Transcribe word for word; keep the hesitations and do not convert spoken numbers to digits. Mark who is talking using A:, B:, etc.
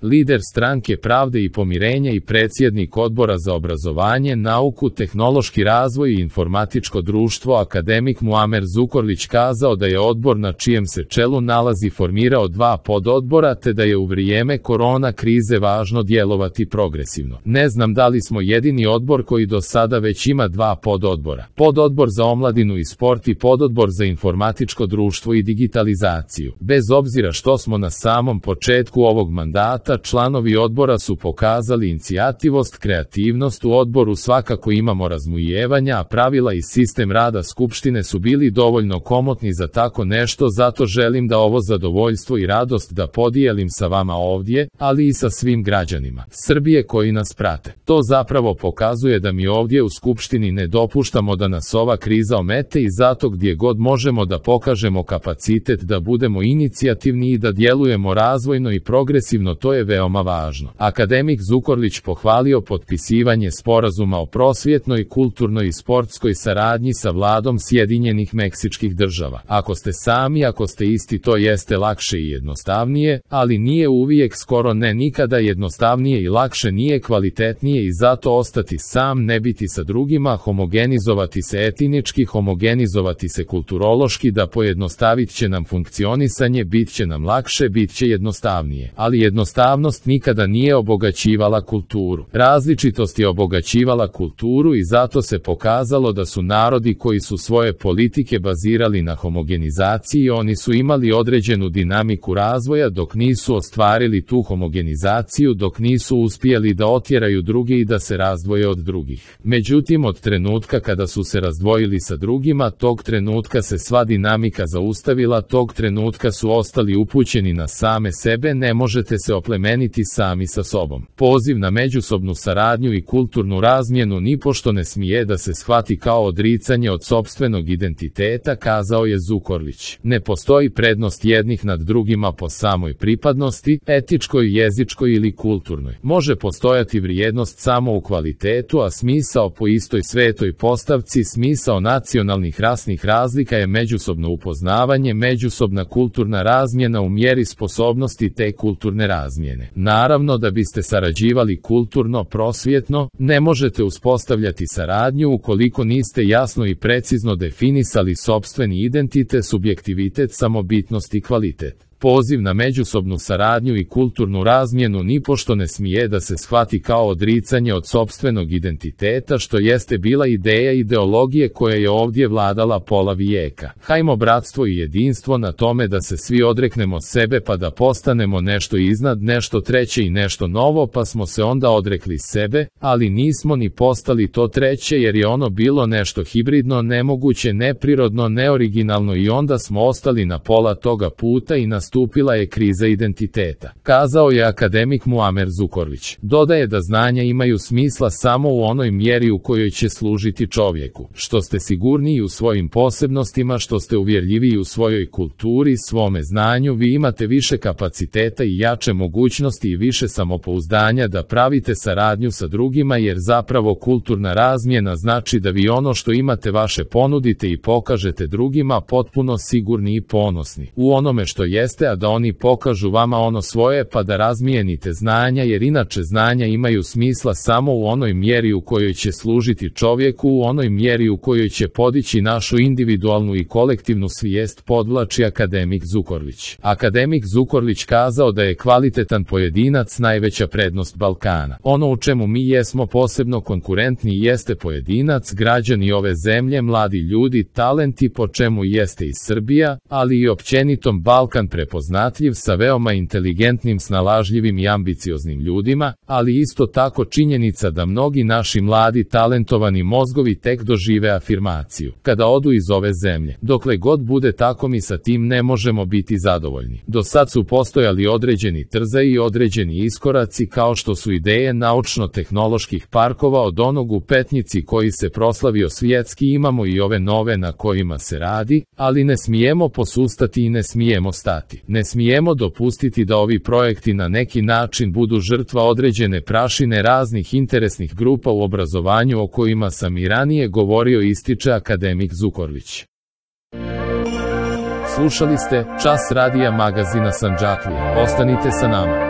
A: lider Stranke pravde i pomirenja i predsjednik Odbora za obrazovanje, nauku, tehnološki razvoj i informatičko društvo akademik Muamer Zukorlić kazao da je odbor na čijem se čelu nalazi formirao dva pododbora te da je u vrijeme korona krize važno djelovati progresivno. Ne znam da li smo jedini odbor koji do sada već ima dva pododbora. Pododbor za omladinu i sport i pododbor za informatičko društvo i digitalizaciju. Bez obzira što smo na samom početku ovog mandata, članovi odbora su pokazali inicijativost, kreativnost. U odboru svakako imamo razmujevanja, a pravila i sistem rada skupštine su bili dovoljno komotni za tako nešto, zato želim da ovo zadovoljstvo i radost da podijelim sa vama ovdje, ali i sa svim građanima Srbije koji nas prate. To zapravo pokazuje da mi ovdje u skupštini ne dopuštamo da nas ova kriza omete i zato gdje god možemo da pokažemo kapacitet da budemo inicijativni i da djelujemo razvojno i progresivno, to je veoma važno. Akademik Zukorlić pohvalio potpisivanje sporazuma o prosvjetnoj, kulturnoj i sportskoj saradnji sa vladom Sjedinjenih Meksičkih država. Ako ste sami, ako ste isti, to jeste lakše i jednostavnije, ali nije uvijek, skoro ne nikada jednostavnije i lakše, nije kvalitetnije i zato ostati sam, ne biti sa drugima, homogenizovati se etnički, homogenizovati se kulturološki, da pojednostavit će nam funkcionisanje, bit će nam lakše, bit će jednostavnije. Ali jednostavnost nikada nije obogaćivala kulturu. Različitost je obogaćivala kulturu i zato se pokazalo da su narodi koji su svoje politike bazirali na homogenizaciji, oni su imali određenu dinamiku razvoja dok nisu ostvarili tu homogenizaciju, dok nisu uspjeli da otjeraju druge i da se razdvoje od drugih. Međutim, od trenutka kada su se razdvojili sa drugima, tog trenutka se sva dinamika zaustavila, tog trenutka su ostali upućeni na same sebe, ne možete se oplemeniti sami sa sobom. Poziv na međusobnu saradnju i kulturnu razmjenu nipošto ne smije da se shvati kao odricanje od sopstvenog identiteta, kazao je Zukorlić. Ne postoji prednost jednih nad drugima po samoj pripadnosti, etičkoj, jezičkoj ili kulturnoj. Može postojati vrijednost samo u kvalitetu, a smisao po istoj svetoj postavci. Smisao nacionalnih rasnih razlika je međusobno upoznavanje, međusobna kulturna razmjena u mjeri sposobnosti te kulturne razmjene. Naravno, da biste sarađivali kulturno, prosvjetno, ne možete uspostavljati saradnju ukoliko niste jasno i precizno definisali sopstveni identitet, subjektivitet, samobitnost i kvalitet. Poziv na međusobnu saradnju i kulturnu razmjenu nipošto ne smije da se shvati kao odricanje od sopstvenog identiteta, što jeste bila ideja ideologije koja je ovdje vladala pola vijeka. Hajmo bratstvo i jedinstvo na tome da se svi odreknemo sebe pa da postanemo nešto iznad, nešto treće i nešto novo, pa smo se onda odrekli sebe, ali nismo ni postali to treće jer je ono bilo nešto hibridno, nemoguće, neprirodno, neoriginalno i onda smo ostali na pola toga puta i na nastupila je kriza identiteta, kazao je akademik Muamer Zukorlić. Dodaje da znanja imaju smisla samo u onoj mjeri u kojoj će služiti čovjeku. Što ste sigurniji u svojim posebnostima, što ste uvjerljiviji u svojoj kulturi, svome znanju, vi imate više kapaciteta i jače mogućnosti i više samopouzdanja da pravite saradnju sa drugima, jer zapravo kulturna razmjena znači da vi ono što imate vaše ponudite i pokažete drugima potpuno sigurni i ponosni u onome što jeste, a da oni pokažu vama ono svoje pa da razmijenite znanja, jer inače znanja imaju smisla samo u onoj mjeri u kojoj će služiti čovjeku, u onoj mjeri u kojoj će podići našu individualnu i kolektivnu svijest, podvlači akademik Zukorlić. Akademik Zukorlić kazao da je kvalitetan pojedinac najveća prednost Balkana. Ono u čemu mi jesmo posebno konkurentni jeste pojedinac, građani ove zemlje, mladi ljudi, talenti, po čemu jeste i Srbija, ali i općenitom Balkan prepoznatljiv sa veoma inteligentnim, snalažljivim i ambicioznim ljudima, ali isto tako činjenica da mnogi naši mladi talentovani mozgovi tek dožive afirmaciju kada odu iz ove zemlje. Dokle god bude tako, mi sa tim ne možemo biti zadovoljni. Do sad su postojali određeni trzaji i određeni iskoraci, kao što su ideje naučno-tehnoloških parkova, od onog u Petnici koji se proslavio svjetski, imamo i ove nove na kojima se radi, ali ne smijemo posustati i ne smijemo stati. Ne smijemo dopustiti da ovi projekti na neki način budu žrtva određene prašine raznih interesnih grupa u obrazovanju o kojima sam i ranije govorio, ističe akademik Zukorlić. Slušali ste Čas radija magazina Sandžaklije. Ostanite sa nama.